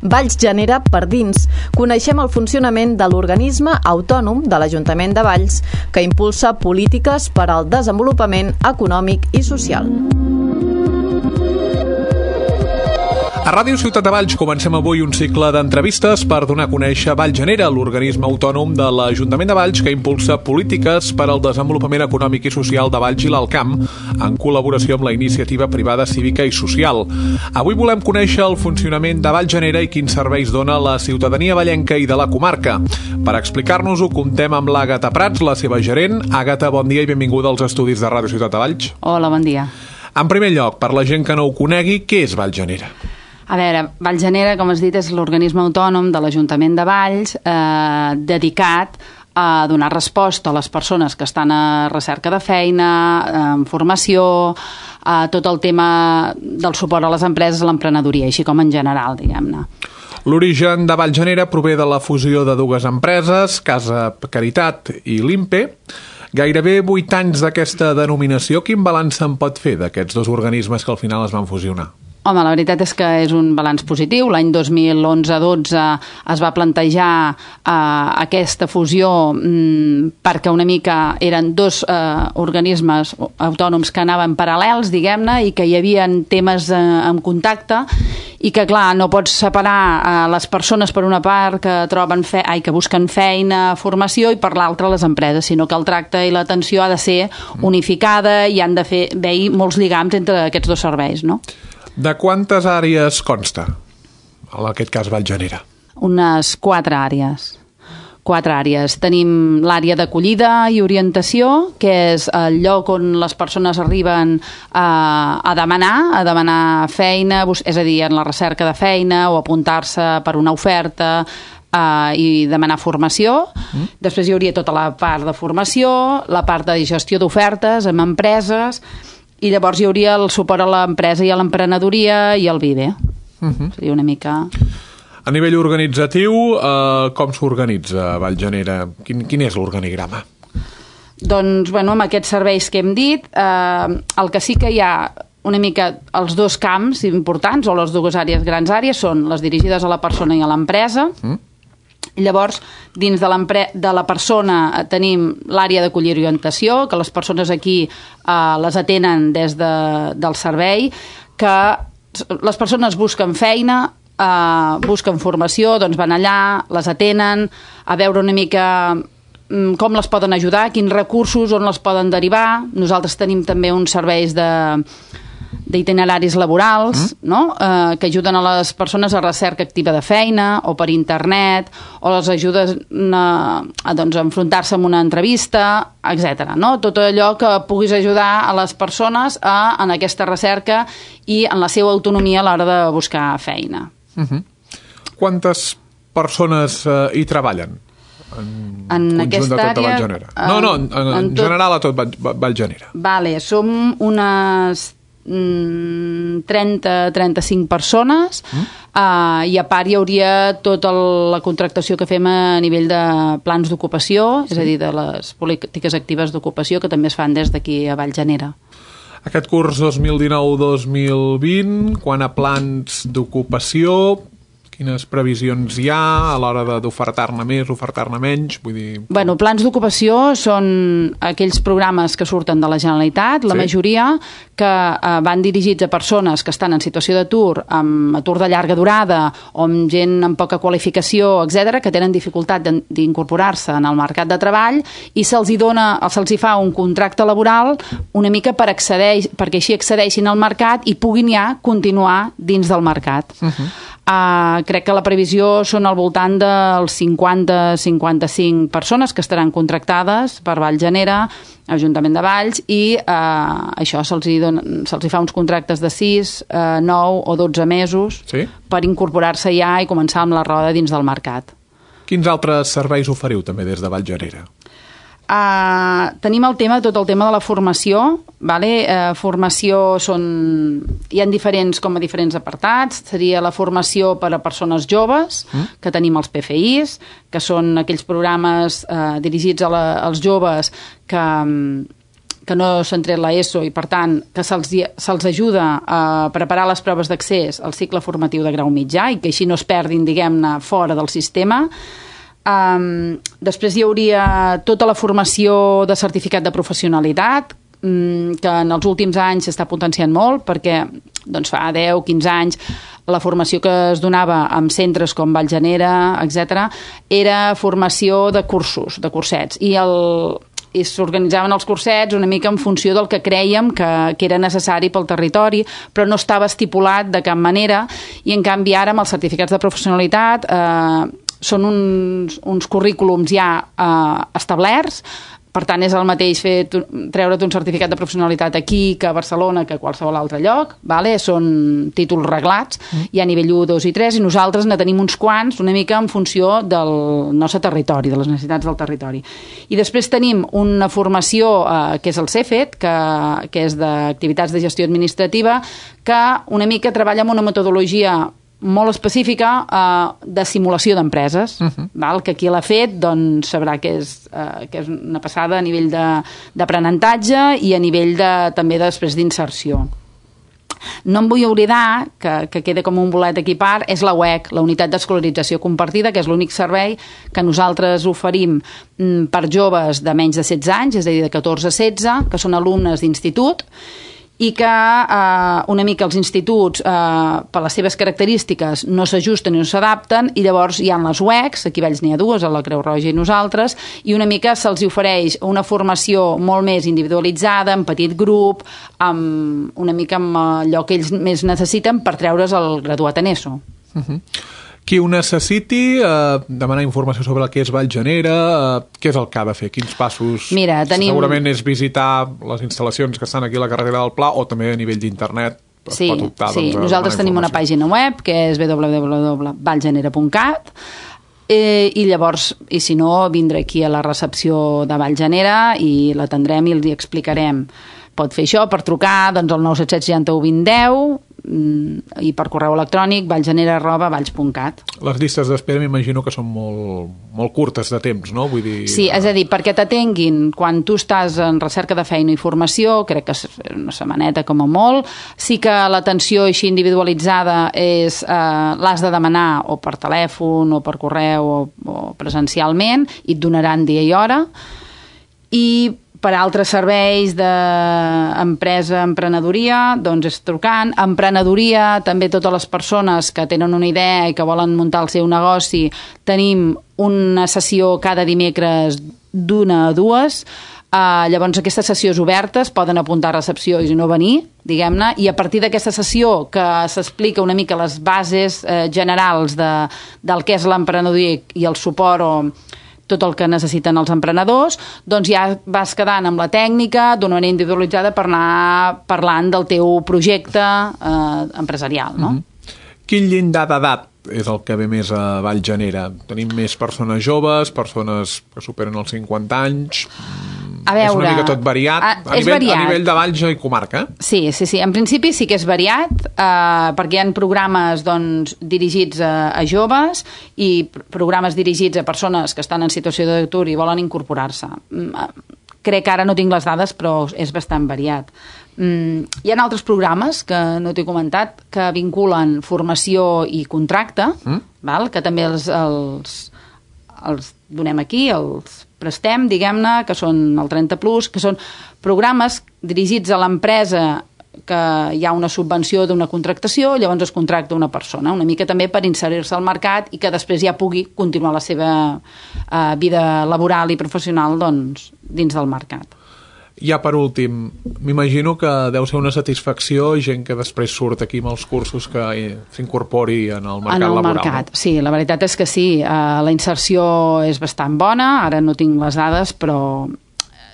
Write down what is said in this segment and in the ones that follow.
Valls genera per dins. Coneixem el funcionament de l'organisme autònom de l'Ajuntament de Valls que impulsa polítiques per al desenvolupament econòmic i social. A Ràdio Ciutat de Valls comencem avui un cicle d'entrevistes per donar a conèixer Valls Genera, l'organisme autònom de l'Ajuntament de Valls que impulsa polítiques per al desenvolupament econòmic i social de Valls i l'Alt Camp en col·laboració amb la iniciativa privada cívica i social. Avui volem conèixer el funcionament de Valls Genera i quins serveis dona a la ciutadania vallenca i de la comarca. Per explicar-nos-ho, comptem amb l'Àgata Prats, la seva gerent. Àgata, bon dia i benvinguda als estudis de Ràdio Ciutat de Valls. Hola, bon dia. En primer lloc, per la gent que no ho conegui, què és Valls Genera? A veure, Valls Genera, com has dit, és l'organisme autònom de l'Ajuntament de Valls dedicat a donar resposta a les persones que estan a recerca de feina, en formació, a tot el tema del suport a les empreses, a l'emprenedoria, així com en general, diguem-ne. L'origen de Valls Genera prové de la fusió de dues empreses, Casa Caritat i l'INPE. Gairebé 8 anys d'aquesta denominació, quin balanç se'n pot fer d'aquests dos organismes que al final es van fusionar? Home, la veritat és que és un balanç positiu. L'any 2011-12 es va plantejar aquesta fusió perquè una mica eren dos organismes autònoms que anaven paral·lels, diguem-ne, i que hi havia temes en contacte i que, clar, no pots separar les persones per una part que busquen feina, formació, i per l'altra les empreses, sinó que el tracte i l'atenció ha de ser unificada i han de haver-hi molts lligams entre aquests dos serveis, no? De quantes àrees consta, en aquest cas, Valls Genera? Unes 4 àrees. 4 àrees. Tenim l'àrea d'acollida i orientació, que és el lloc on les persones arriben a demanar feina, és a dir, en la recerca de feina o apuntar-se per una oferta i demanar formació. Després hi hauria tota la part de formació, la part de gestió d'ofertes amb empreses, i llavors hi hauria el suport a l'empresa i a l'emprenedoria i al VIVE. Seria una mica... A nivell organitzatiu, com s'organitza Valls Genera? Quin és l'organigrama? Doncs, bueno, amb aquests serveis que hem dit, el que sí que hi ha una mica els dos camps importants, o les dues grans àrees, són les dirigides a la persona i a l'empresa. Llavors, dins de la persona tenim l'àrea d'acollida i orientació, que les persones aquí les atenen des del servei, que les persones busquen feina, busquen formació, doncs van allà, les atenen, a veure una mica com les poden ajudar, quins recursos, on les poden derivar. Nosaltres tenim també uns serveis d'itineraris laborals, no? Que ajuden a les persones a recerca activa de feina o per internet, o les ajuden a enfrontar-se amb una entrevista, etc. No? Tot allò que puguis ajudar a les persones en aquesta recerca i en la seva autonomia a l'hora de buscar feina. Quantes persones hi treballen? En aquesta àrea... Valls Genera? En general a tot Valls Genera. Vale, som unes 30-35 persones i a part hi hauria tota la contractació que fem a nivell de plans d'ocupació, és a dir, de les polítiques actives d'ocupació que també es fan des d'aquí a Valls Genera. Aquest curs 2019-2020, quant a plans d'ocupació, quines previsions hi ha a l'hora d'ofertar-ne més, ofertar-ne menys? Vull dir... Bueno, plans d'ocupació són aquells programes que surten de la Generalitat, la majoria, que van dirigits a persones que estan en situació d'atur, amb atur de llarga durada, o amb gent amb poca qualificació, etc., que tenen dificultat d'incorporar-se en el mercat de treball, i se'ls hi fa un contracte laboral una mica perquè així accedeixin al mercat i puguin ja continuar dins del mercat. Crec que la previsió són al voltant dels 50-55 persones que estaran contractades per Valls Genera, Ajuntament de Valls, i això se'ls hi fa uns contractes de 6, 9 o 12 mesos per incorporar-se ja i començar amb la roda dins del mercat. Quins altres serveis oferiu també des de Valls Genera? Tenim tot el tema de la formació, vale? Formació hi ha diferents apartats. Seria la formació per a persones joves, que tenim els PFIs, que són aquells programes dirigits als joves que que no s'han tret l'ESO i, per tant, que se'ls ajuda a preparar les proves d'accés al cicle formatiu de grau mitjà i que així no es perdin, diguem-ne, fora del sistema. Després hi hauria tota la formació de certificat de professionalitat, que en els últims anys s'està potenciant molt, perquè doncs, fa 10-15 anys la formació que es donava en centres com Vallgenera, etc., era formació de cursos, de cursets, i s'organitzaven els cursets una mica en funció del que creiem que era necessari pel territori, però no estava estipulat de cap manera, i en canvi ara amb els certificats de professionalitat són uns currículums ja establerts. Per tant, és el mateix treure't un certificat de professionalitat aquí que a Barcelona que a qualsevol altre lloc, vale? Són títols reglats, hi ha nivell 1, 2 i 3, i nosaltres ne tenim uns quants una mica en funció del nostre territori, de les necessitats del territori. I després tenim una formació que és el CEFET, que és d'activitats de gestió administrativa, que una mica treballa amb una metodologia molt específica de simulació d'empreses, que qui l'ha fet doncs, sabrà que és una passada a nivell d'aprenentatge i a nivell també després d'inserció. No em vull oblidar, que queda com un bolet aquí a part, és la UEC, la Unitat d'Escolarització Compartida, que és l'únic servei que nosaltres oferim per joves de menys de 16 anys, és a dir, de 14 a 16, que són alumnes d'institut, i que una mica els instituts, per les seves característiques, no s'ajusten i no s'adapten, i llavors hi ha les UECs, aquí a Valls n'hi ha dues, a la Creu Roja i nosaltres, i una mica se'ls ofereix una formació molt més individualitzada, en petit grup, una mica amb allò que ells més necessiten per treure's el graduat en ESO. Qui ho necessiti, demanar informació sobre el que és Vallgenera, què és el que ha de fer? Quins passos? Mira, segurament és visitar les instal·lacions que estan aquí a la carretera del Pla, o també a nivell d'internet. Sí, nosaltres tenim una pàgina web que és www.vallgenera.cat, i llavors, i si no, vindre aquí a la recepció de Vallgenera i l'atendrem i els hi explicarem. Pot fer això per trucar al 977 61 20 10 i per correu electrònic vallgenera@valls.cat. Les llistes d'espera m'imagino que són molt curtes de temps, no? Vull dir... Sí, és a dir, perquè t'atenguin quan tu estàs en recerca de feina i formació, crec que és una setmaneta com a molt. Sí que l'atenció així individualitzada l'has de demanar o per telèfon o per correu o presencialment, i et donaran dia i hora. I per altres serveis d'empresa, emprenedoria, doncs és trucant. Emprenedoria, també totes les persones que tenen una idea i que volen muntar el seu negoci, tenim una sessió cada dimecres d'1 a 2. Llavors aquestes sessions obertes poden apuntar a recepció i no venir, diguem-ne, i a partir d'aquesta sessió que s'explica una mica les bases generals del que és l'emprenedoria i el suport o tot el que necessiten els emprenedors, doncs ja vas quedant amb la tècnica d'una manera individualitzada per anar parlant del teu projecte empresarial, no? Quin llindar d'edat és el que ve més a Vallgenera? Tenim més persones joves, persones que superen els 50 anys... A veure, és una mica tot variat, a nivell de Valls i comarca. Sí, en principi sí que és variat, perquè hi ha programes dirigits a joves i programes dirigits a persones que estan en situació d'atur i volen incorporar-se. Crec que ara no tinc les dades, però és bastant variat. Hi ha altres programes que no t'he comentat que vinculen formació i contracte, que també els donem aquí, els prestem, diguem-ne, que són el 30+, que són programes dirigits a l'empresa que hi ha una subvenció d'una contractació, llavors es contracta una persona, una mica també per inserir-se al mercat i que després ja pugui continuar la seva vida laboral i professional dins del mercat. Ja per últim, m'imagino que deu ser una satisfacció gent que després surt aquí amb els cursos que s'incorpori en el mercat laboral. Mercat, sí, la veritat és que sí. La inserció és bastant bona, ara no tinc les dades, però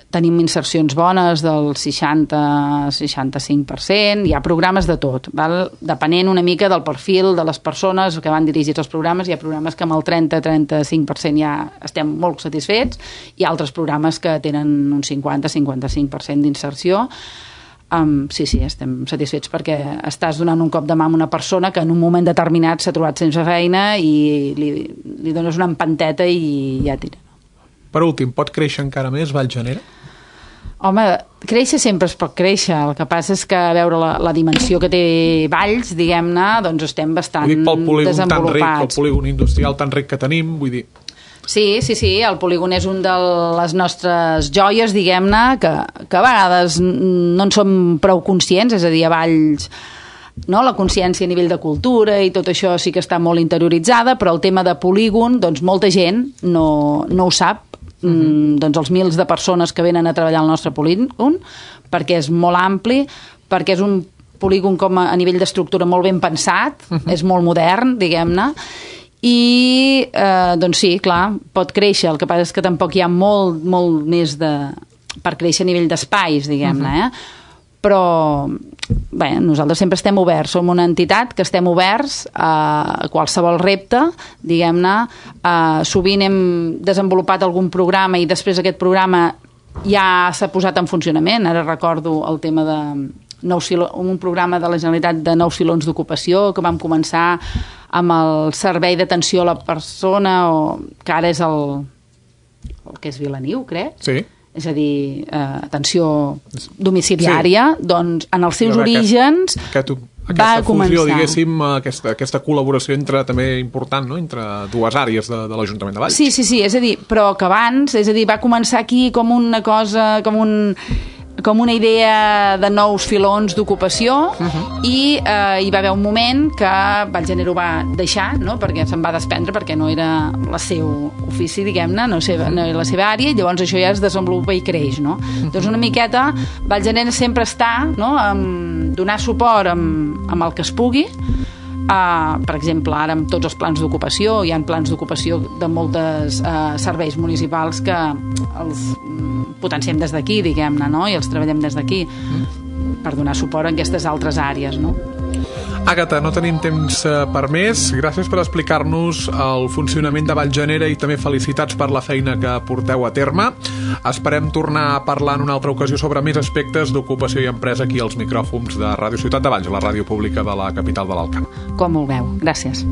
tenim insercions bones del 60-65%, hi ha programes de tot, depenent una mica del perfil de les persones que van dirigits als programes. Hi ha programes que amb el 30-35% ja estem molt satisfets, i altres programes que tenen un 50-55% d'inserció. Sí, estem satisfets perquè estàs donant un cop de mà a una persona que en un moment determinat s'ha trobat sense feina i li dones una empanteta i ja tira. Per últim, pot créixer encara més Vallgenera? Home, créixer sempre es pot créixer, el que passa és que a veure la dimensió que té Valls, diguem-ne, doncs estem bastant pel polígon tan ric, desenvolupats. el polígon industrial tan ric que tenim, vull dir... Sí, el polígon és un de les nostres joies, diguem-ne, que a vegades no en som prou conscients, és a dir, a Valls, no? La consciència a nivell de cultura i tot això sí que està molt interioritzada, però el tema de polígon, doncs molta gent no ho sap, doncs els mils de persones que venen a treballar al nostre polígon, perquè és molt ampli, perquè és un polígon com a nivell d'estructura molt ben pensat, és molt modern, diguem-ne, i doncs sí, clar, pot créixer, el que passa és que tampoc hi ha molt més per créixer a nivell d'espais, diguem-ne, però bé, nosaltres sempre estem oberts, som una entitat que estem oberts a qualsevol repte, diguem-ne, sovint hem desenvolupat algun programa i després aquest programa ja s'ha posat en funcionament. Ara recordo el tema de un programa de la Generalitat de 9 filons d'ocupació que vam començar amb el servei d'atenció a la persona, que ara és el que és Vilaniu, crec. Sí. És a dir, atenció domiciliària, doncs en els seus orígens va començar. Fusió, diguéssim, aquesta col·laboració també important, no?, entre dues àrees de l'Ajuntament de Valls. Sí, és a dir, però que abans, és a dir, va començar aquí com una cosa, com una idea de nous filons d'ocupació i hi va haver un moment que Valls va deixar, no?, perquè se'n va desprendre perquè no era el seu ofici, diguem-ne, no era la seva àrea, i llavors això ja es desenvolupa i creix, no? Doncs una miqueta Valls sempre està, no?, donar suport amb el que es pugui. Per exemple, ara amb tots els plans d'ocupació, hi ha plans d'ocupació de moltes serveis municipals que els potenciem des d'aquí, diguem-ne, no?, i els treballem des d'aquí per donar suport a aquestes altres àrees, no? Àgata, no tenim temps per més. Gràcies per explicar-nos el funcionament de Vallgenera i també felicitats per la feina que porteu a terme. Esperem tornar a parlar en una altra ocasió sobre més aspectes d'ocupació i empresa aquí als micròfons de Ràdio Ciutat de Valls, la ràdio pública de la capital de l'Alt Camp. Com vulgueu. Gràcies.